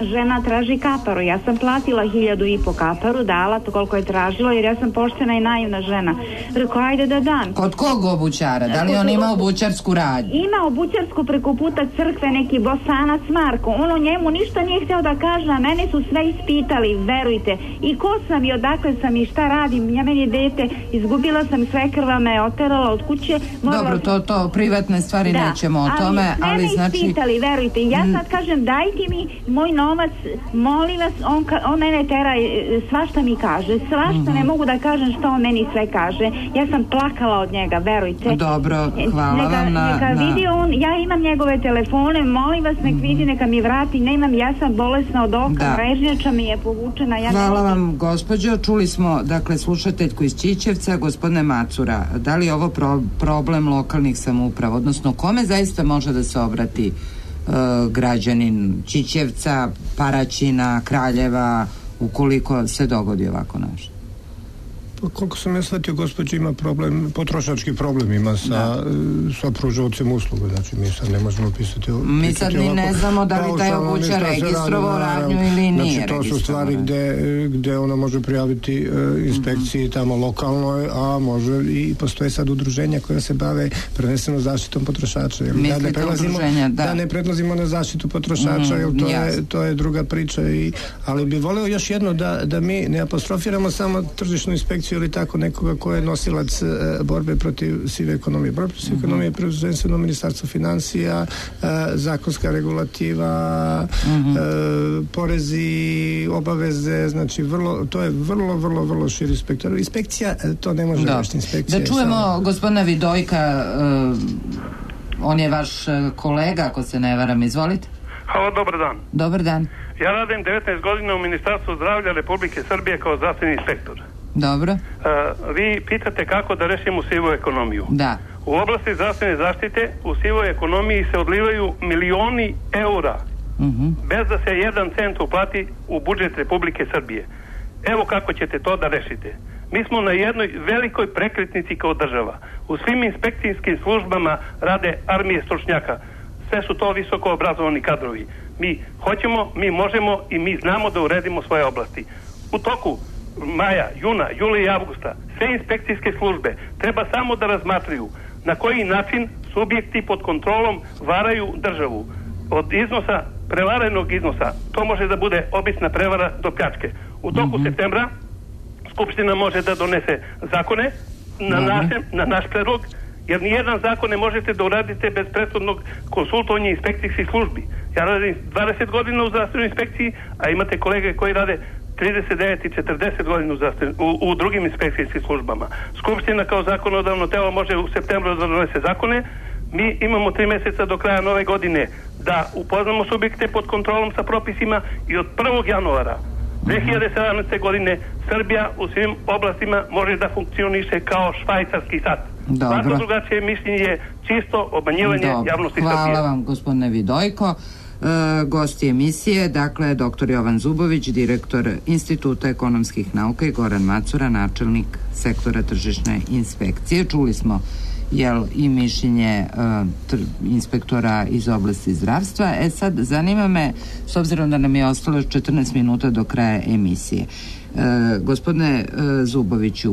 žena traži kaparu. Ja sam platila 1.500 kaparu, dala to koliko je tražilo, jer ja sam poštena i naivna žena. Rekao, ajde da dam. Kod kog obućara? Da li on ima obućarsku radnju? Ima obućarsku preko puta crkve, neki Bosanac Marko. On o njemu ništa nije hteo da kaže, a mene su sve ispitali, verujte. I ko sam i odakle sam i šta radim. Ja meni dete, izgubila sam, svekrva me oterala od kuće. Dobro, to privatne stvari nećemo o tome. Ali znači ispitali, verujte. Ja sad kažem, dajte mi moj novac, molim vas. On mene tera, svašta mi kaže, svašta, ne mogu da kažem što on meni sve kaže. Ja sam plakala od njega, verujte. Dobro, hvala vam neka vidi on, ja imam njegove telefone, molim vas, nek vidi, neka mi vrati. Nemam, ja sam bolesna od oka, mrežnjača mi je povučena. Hvala vam, gospođo. Čuli smo, dakle, slušateljku iz Ćićevca. Gospodine Macura, da li je ovo problem lokalnih samouprava, odnosno kome zaista može da se obrati građanin Ćićevca, Paraćina, Kraljeva, ukoliko se dogodi ovako nešto? Koliko sam ja shvatio, gospođa ima problem, potrošački problem ima sa pružavcem usluga, znači mi sad ne možemo pisati. Mi sad ni ne znamo da li taj obućar registrovao radnju ili nije. Znači to su stvari gde ona može prijaviti inspekciji tamo lokalnoj, a može i postoje sad udruženja koja se bave prvenstveno zaštitom potrošača. Da ne predlazimo na zaštitu potrošača, jer to je druga priča, ali bi voleo još jedno da mi ne apostrofiramo samo tržišnu inspekciju inspekciju ili tako nekoga ko je nosilac borbe protiv sive ekonomije. Borbe protiv sive ekonomije je prvenstveno Ministarstvo finansija, zakonska regulativa, porezi, obaveze, znači to je vrlo širi spektar. Inspekcija to ne može rešiti. Inspekcija da čujemo gospodina Vidojka, on je vaš kolega, ako se ne varam, izvolite. Halo, dobar dan. Dobar dan. Ja radim 19 godina u Ministarstvu zdravlja Republike Srbije kao zdravstveni inspektor. Dobro. Vi pitate kako da rešimo sivu ekonomiju. Da. U oblasti zdravstvene zaštite u sivoj ekonomiji se odlivaju milioni eura bez da se 1 cent uplati u budžet Republike Srbije. Evo kako ćete to da rešite. Mi smo na jednoj velikoj prekretnici kao država. U svim inspekcijskim službama rade armije stručnjaka. Sve su to visoko obrazovani kadrovi. Mi hoćemo, mi možemo i mi znamo da uredimo svoje oblasti. U toku maja, juna, jula i avgusta sve inspekcijske službe treba samo da razmatraju na koji način subjekti pod kontrolom varaju državu. Od iznosa, prevarenog iznosa, to može da bude obična prevara do pljačke. U toku septembra Skupština može da donese zakone na naš predlog, jer nijedan zakon ne možete da uradite bez prethodnog konsultovanja inspekcijskih službi. Ja radim 20 godina u zdravstvenoj inspekciji, a imate kolege koji rade 39 i 40 godina u drugim inspekcijskim službama. Skupština kao zakonodavno telo može u septembru da donese zakone. Mi imamo 3 meseca do kraja nove godine da upoznamo subjekte pod kontrolom sa propisima i od 1. januara 2017. godine Srbija u svim oblastima može da funkcioniše kao švajcarski sat. Svako drugačije mišljenje je čisto obmanjivanje javnosti Srbije. Hvala vam, gospodine Vidojko. Gosti emisije, dakle, dr. Jovan Zubović, direktor Instituta ekonomskih nauka, i Goran Macura, načelnik sektora tržišne inspekcije. Čuli smo i mišljenje inspektora iz oblasti zdravstva. Sad, zanima me, s obzirom da nam je ostalo 14 minuta do kraja emisije, gospodine Zuboviću,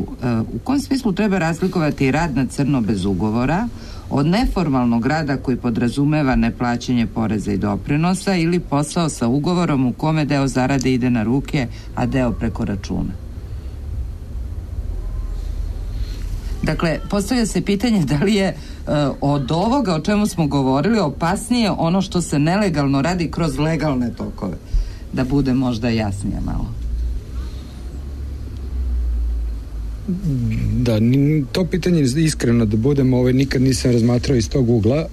u kom smislu treba razlikovati rad na crno bez ugovora od neformalnog rada koji podrazumeva neplaćanje poreza i doprinosa ili posao sa ugovorom u kome deo zarade ide na ruke, a deo preko računa? Dakle, postavlja se pitanje da li je od ovoga o čemu smo govorili opasnije ono što se nelegalno radi kroz legalne tokove. Da bude možda jasnije malo. Da, to pitanje iskreno da budem, nikad nisam razmatrao iz tog ugla.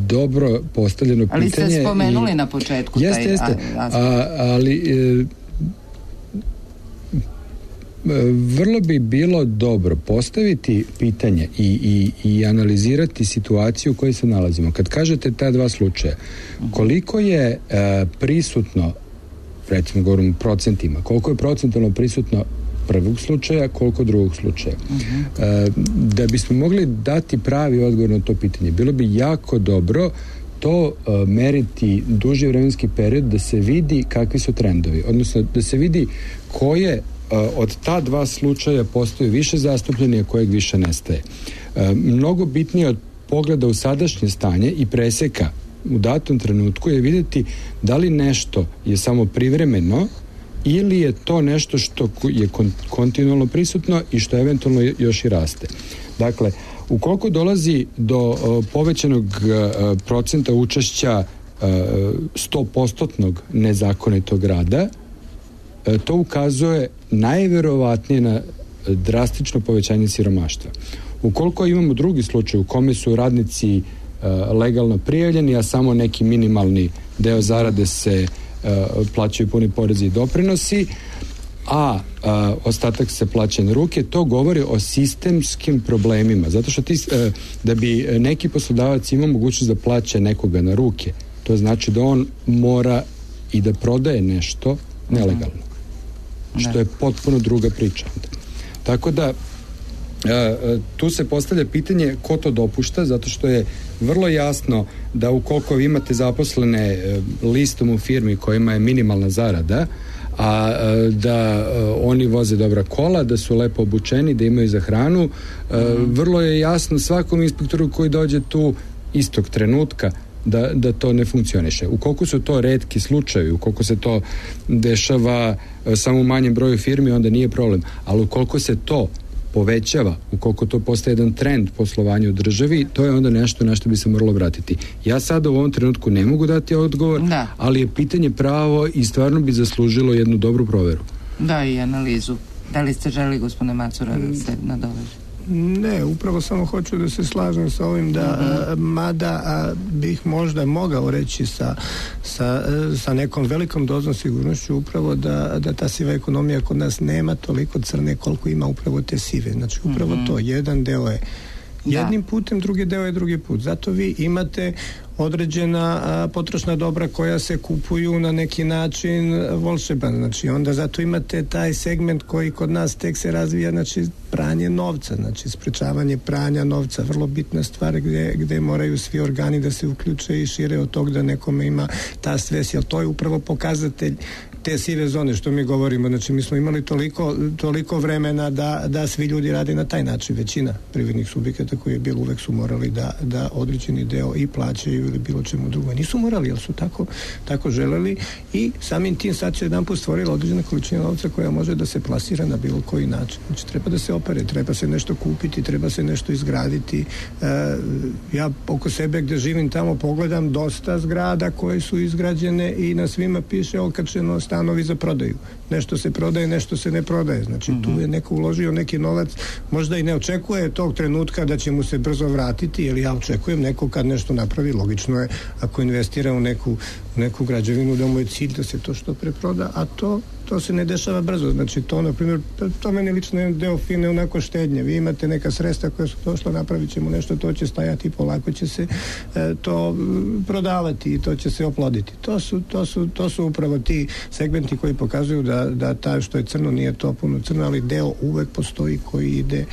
Dobro postavljeno pitanje. Ali ste spomenuli na početku. Jeste. Ali vrlo bi bilo dobro postaviti pitanje i analizirati situaciju u kojoj se nalazimo. Kad kažete ta 2 slučaja, koliko je prisutno, recimo govorim procentima, koliko je procentalno prisutno prvog slučaja, koliko drugog slučaja. Da bismo mogli dati pravi odgovor na to pitanje, bilo bi jako dobro to meriti duži vremenski period da se vidi kakvi su trendovi, odnosno da se vidi koje od ta 2 slučaja postoji više zastupljeni, a kojeg više nestaje. Mnogo bitnije od pogleda u sadašnje stanje i preseka u datom trenutku je vidjeti da li nešto je samo privremeno ili je to nešto što je kontinualno prisutno i što eventualno još i raste. Dakle, ukoliko dolazi do povećanog procenta učešća 100% nezakonitog rada, to ukazuje najverovatnije na drastično povećanje siromaštva. Ukoliko imamo drugi slučaj u kome su radnici legalno prijavljeni, a samo neki minimalni deo zarade se plaćaju puni porezi i doprinosi, a ostatak se plaća na ruke, to govori o sistemskim problemima. Zato što da bi neki poslodavac imao mogućnost da plaća nekoga na ruke, to znači da on mora i da prodaje nešto nelegalno. Što je potpuno druga priča. Tako da tu se postavlja pitanje ko to dopušta, zato što je vrlo jasno da ukoliko vi imate zaposlene listom u firmi kojima je minimalna zarada, a da oni voze dobra kola, da su lepo obučeni, da imaju za hranu, vrlo je jasno svakom inspektoru koji dođe tu istog trenutka da to ne funkcioniše. Ukoliko su to retki slučajevi, ukoliko se to dešava samo u manjem broju firmi, onda nije problem. Ali ukoliko se to povećava, ukoliko to postaje jedan trend poslovanja u državi, to je onda nešto na što bi se moralo vratiti. Ja sada u ovom trenutku ne mogu dati odgovor, ali je pitanje pravo i stvarno bi zaslužilo jednu dobru proveru. Da, i analizu. Da li ste želi, gospodine Macura, da se nadoveže? Ne, upravo samo hoću da se slažem sa ovim mada bih možda mogao reći sa nekom velikom dozom sigurnošću upravo da ta siva ekonomija kod nas nema toliko crne koliko ima upravo te sive. Znači upravo to, jedan deo je jednim putem, drugi deo je drugi put. Zato vi imate određena potrošna dobra koja se kupuju na neki način volšeban. Znači onda zato imate taj segment koji kod nas tek se razvija, znači pranje novca, znači sprečavanje pranja novca, vrlo bitna stvar gde moraju svi organi da se uključe i šire od tog da nekome ima ta svest, jer to je upravo pokazatelj te sive zone što mi govorimo. Znači mi smo imali toliko vremena da svi ljudi rade na taj način. Većina privrednih subjekata koji je bilo uvek su morali da određeni deo i plaćaju ili bilo čemu drugo. Nisu morali, jer su tako želeli i samim tim sad se jedan put stvorila određena količina novca koja može da se plasira na bilo koji način. Znači treba da se opere, treba se nešto kupiti, treba se nešto izgraditi. Ja oko sebe gde živim tamo pogledam dosta zgrada koje su izgrađene i na svima piše okačeno stanovi za prodaju. Nešto se prodaje, nešto se ne prodaje. Znači tu je neko uložio neki novac, možda i ne očekuje tog trenutka da će mu se brzo vratiti, jer ja očekujem neko kad nešto napravi, logično je ako investira u neku građevinu da mu je cilj da se to što pre proda, a to se ne dešava brzo. Znači to, na primjer, to meni lično je deo fine onako štednje. Vi imate neka sredstva koja su došla, napravit ćemo nešto, to će stajati, polako će se to prodavati i to će se oploditi. To su upravo ti segmenti koji pokazuju da ta što je crno nije to puno crno, ali deo uvek postoji koji ide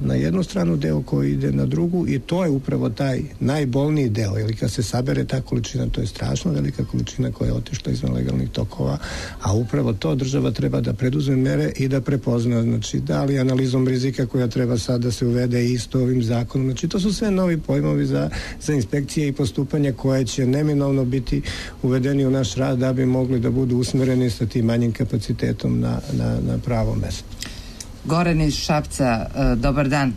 na jednu stranu, deo koji ide na drugu i to je upravo taj najbolniji deo, jer kad se sabere ta količina, to je strašno velika količina koja je otišla izvan legalnih tokova, a upravo to država treba da preduzme mere i da prepozna, znači da li analizom rizika koja treba sad da se uvede isto ovim zakonom, znači to su sve novi pojmovi za inspekcije i postupanja koje će neminovno biti uvedeni u naš rad da bi mogli da budu usmereni sa tim manjim kapacitetom na pravo mesto. Goran iz Šapca, dobar dan.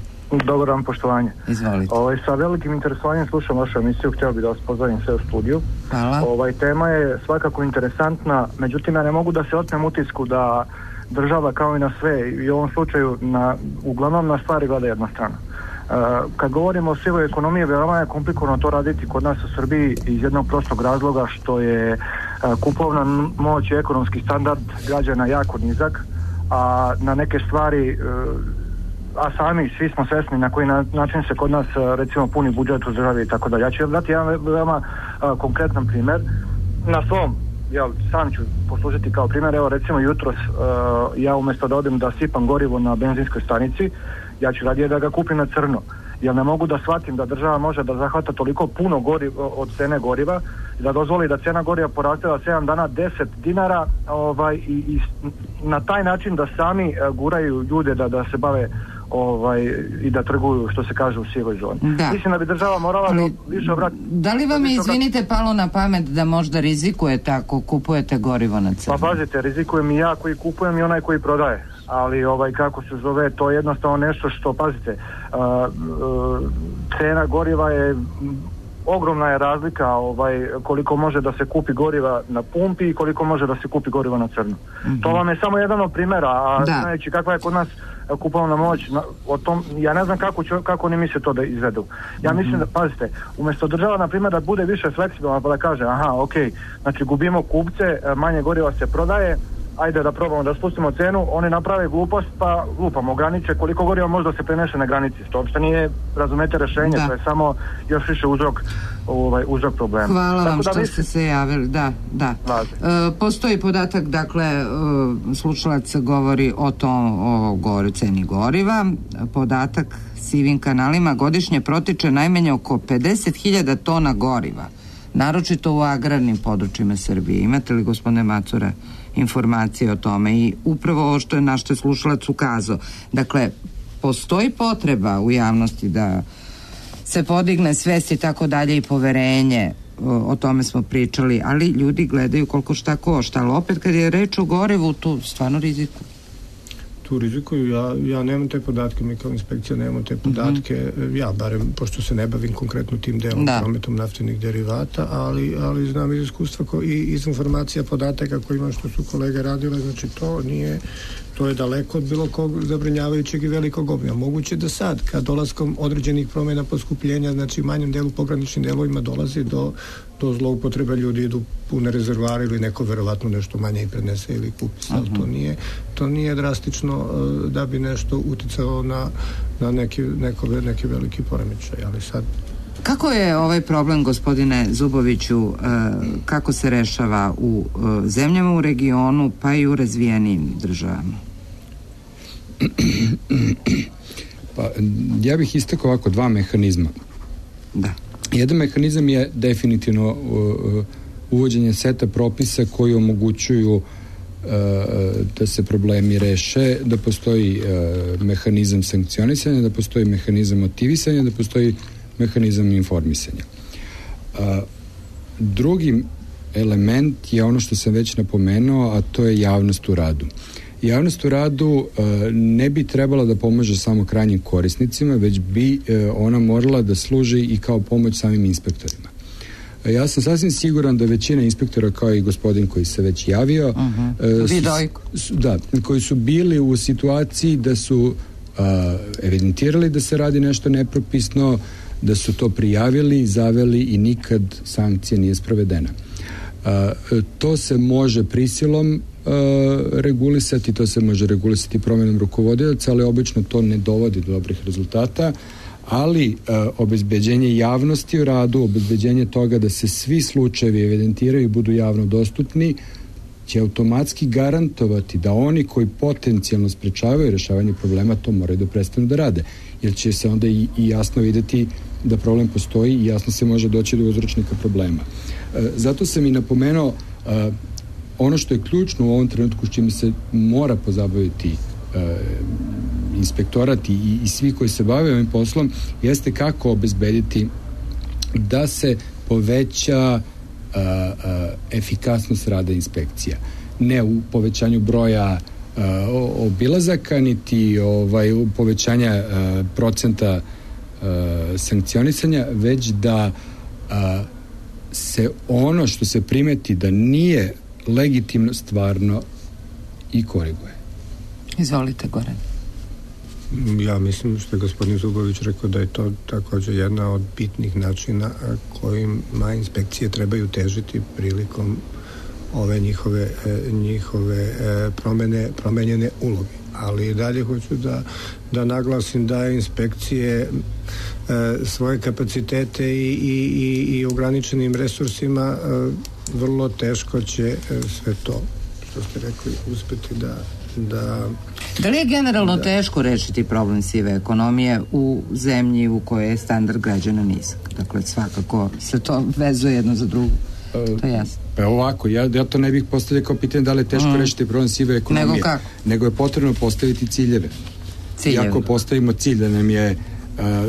Dobar dan, poštovanje. Izvolite. Sa velikim interesovanjem slušam vašu emisiju, htio bih da vas pozdravim sve u studiju. Hvala. Tema je svakako interesantna, međutim ja ne mogu da se otmem utisku da država kao i na sve i u ovom slučaju uglavnom na stvari gleda jedna strana. Kad govorimo o sivoj ekonomiji, veoma je komplikovano to raditi kod nas u Srbiji iz jednog prostog razloga što je kupovna moć i ekonomski standard građana jako nizak, a na neke stvari, a sami svi smo svesni na koji način se kod nas recimo puni budžet u državi i tako dalje. Ja ću vam dati jedan veoma konkretan primjer na svom, sam ću poslužiti kao primjer. Evo recimo jutros ja umjesto da odem da sipam gorivo na benzinskoj stanici, ja ću radije da ga kupim na crno, jer ne mogu da shvatim da država može da zahvata toliko puno od cene goriva i da dozvoli da cena goriva poraste za 7 dana 10 dinara i na taj način da sami guraju ljude da se bave i da trguju, što se kaže, u sivoj zoni. Da. Mislim da bi država morala više obratiti. Da li vam je, izvinite, palo na pamet da možda rizikujete ako kupujete gorivo na crno? Pa pazite, rizikujem i ja koji kupujem i onaj koji prodaje. Ali kako se zove, to je jednostavno nešto što, pazite, cena goriva je, ogromna je razlika koliko može da se kupi goriva na pumpi i koliko može da se kupi goriva na crno. To vam je samo jedan od primjera, a znajući kakva je kod nas kupovna moć, o tom, ja ne znam kako oni misle to da izvedu. Ja mislim da, pazite, umjesto država, na primjer, da bude više fleksibilna pa da kaže, znači gubimo kupce, manje goriva se prodaje, ajde da probamo da spustimo cenu, oni naprave glupost pa lupamo granice, koliko goriva možda se prenese na granici. To uopšte nije, razumete, rešenje, to je samo još više uzrok problema. Hvala vam što ste se javili, da. Postoji podatak, dakle, slušalac govori o ceni goriva, podatak sivim kanalima godišnje protiče najmanje oko 50.000 tona goriva, naročito u agrarnim područjima Srbije. Imate li, gospodine Macura, informacije o tome? I upravo ovo što je naš slušalac ukazao. Dakle, postoji potreba u javnosti da se podigne svest i tako dalje i poverenje, o tome smo pričali, ali ljudi gledaju koliko šta košta, ali opet kad je reč o gorivu, tu stvarno rizikuju. Tu rizikuju, ja nemam te podatke, mi kao inspekcija nemamo te podatke, ja barem, pošto se ne bavim konkretno tim delom prometom naftinih derivata, ali znam iz iskustva i iz informacija podataka koji imam što su kolege radile, znači to je daleko od bilo kog zabrinjavajućeg i velikog obima. Moguće da sad, kad dolaskom određenih promjena poskupljenja, znači u manjem delu, pograničnim delovima dolazi do zloupotreba, ljudi idu pune rezervare ili neko verovatno nešto manje i prenese ili kupi. To nije drastično da bi nešto uticalo na neki veliki poremećaj, ali sad... Kako je ovaj problem, gospodine Zuboviću, kako se rešava u zemljama u regionu, pa i u razvijenim državama? Pa, ja bih istakao ovako dva mehanizma. Da. Jedan mehanizam je definitivno uvođenje seta propisa koji omogućuju da se problemi reše, da postoji mehanizam sankcionisanja, da postoji mehanizam motivisanja, da postoji mehanizam informisanja. Drugi element je ono što sam već napomenuo, a to je javnost u radu. Javnost u radu ne bi trebala da pomaže samo krajnjim korisnicima, već bi ona morala da služi i kao pomoć samim inspektorima. Ja sam sasvim siguran da većina inspektora, kao i gospodin koji se već javio, koji su bili u situaciji da su evidentirali da se radi nešto nepropisno, da su to prijavili, zaveli i nikad sankcija nije sprovedena. To se može prisilom regulisati, to se može regulisati promjenom rukovodioca, ali obično to ne dovodi do dobrih rezultata, ali obezbeđenje javnosti u radu, obezbeđenje toga da se svi slučajevi evidentiraju i budu javno dostupni, će automatski garantovati da oni koji potencijalno sprečavaju rešavanje problema to moraju da prestanu da rade, jer će se onda i jasno videti da problem postoji i jasno se može doći do uzročnika problema. Zato sam i napomenuo ono što je ključno u ovom trenutku s čime se mora pozabaviti inspektorat i svi koji se bave ovim poslom jeste kako obezbediti da se poveća efikasnost rada inspekcija. Ne u povećanju broja obilazaka, niti u povećanja procenta sankcionisanja, već da se ono što se primeti da nije legitimno stvarno i koriguje. Izvolite, Goran. Ja mislim što je gospodin Zubović rekao da je to također jedna od bitnih načina kojima inspekcije trebaju težiti prilikom ove njihove promenjene uloge. Ali dalje hoću da naglasim da inspekcije svoje kapacitete i ograničenim resursima vrlo teško će sve to što ste rekli uspeti Da li je generalno teško rešiti problem sive ekonomije u zemlji u kojoj je standard građana nizak? Dakle, svakako se to vezuje jedno za drugo. To je jasno. Ovako, ja to ne bih postavljao kao pitanje da li je teško rešiti problem sive ekonomije. Nego je potrebno postaviti ciljeve. I ako postavimo cilj da nam je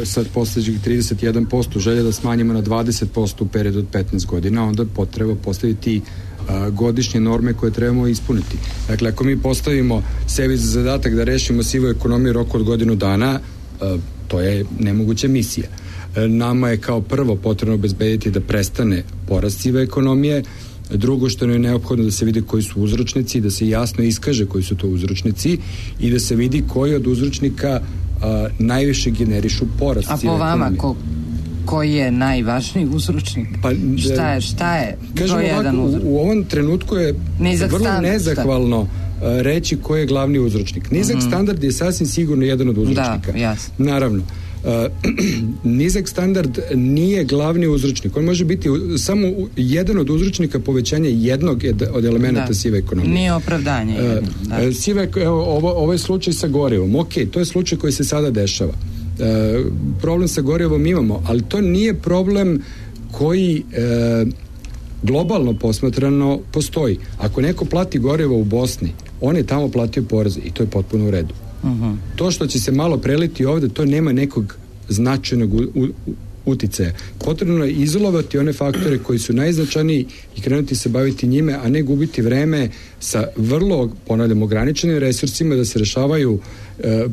sad postojećih 31% želja da smanjimo na 20% u periodu od 15 godina, onda potreba postaviti godišnje norme koje trebamo ispuniti. Dakle, ako mi postavimo sebi za zadatak da rešimo sivu ekonomiju roku od godinu dana, to je nemoguća misija. Nama je kao prvo potrebno obezbediti da prestane porast sive ekonomije, drugo što je neophodno da se vidi koji su uzročnici, da se jasno iskaže koji su to uzročnici i da se vidi koji od uzročnika najviše generišu porast sive ekonomije. A po vama, koji je najvažniji uzročnik? Šta je? Kažem ovako, u ovom trenutku je vrlo nezahvalno reći koji je glavni uzročnik. Nizak standard je sasvim sigurno jedan od uzročnika. Da, jasno. Naravno. Nizak standard nije glavni uzročnik. On može biti samo jedan od uzročnika povećanja jednog od elemenata sive ekonomije. Nije opravdanje. Ovaj slučaj sa gorivom. Ok, to je slučaj koji se sada dešava. Problem sa gorivom imamo, ali to nije problem koji globalno posmatrano postoji. Ako neko plati gorivo u Bosni, on je tamo platio porez i to je potpuno u redu. To što će se malo preliti ovde, to nema nekog značajnog uticaja. Potrebno je izolovati one faktore koji su najznačajniji i krenuti se baviti njime, a ne gubiti vreme sa vrlo, ponavljam, ograničenim resursima da se rešavaju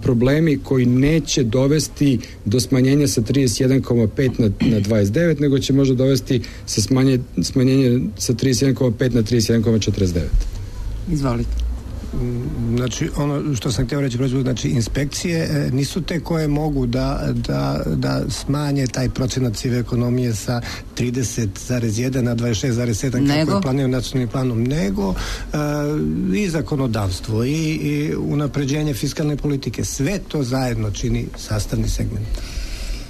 problemi koji neće dovesti do smanjenja sa 31,5 na 29, nego će možda dovesti sa smanjenje sa 31,5 na 31,49. Izvolite. Znači, ono što sam htio reći, znači inspekcije nisu te koje mogu da smanje taj procenat sive ekonomije sa 30,1 na 26,7 kako je planirano nacionalnim planom, nego i zakonodavstvo i unapređenje fiskalne politike. Sve to zajedno čini sastavni segment.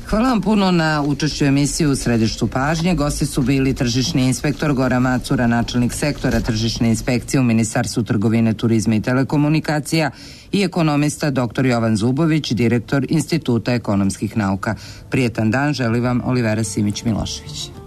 Hvala vam puno na učešću emisiju u središtu pažnje. Gosti su bili tržišni inspektor Goran Macura, načelnik sektora tržišne inspekcije u Ministarstvu trgovine, turizma i telekomunikacija i ekonomista dr. Jovan Zubović, direktor Instituta ekonomskih nauka. Prijetan dan želi vam Olivera Simić-Milošević.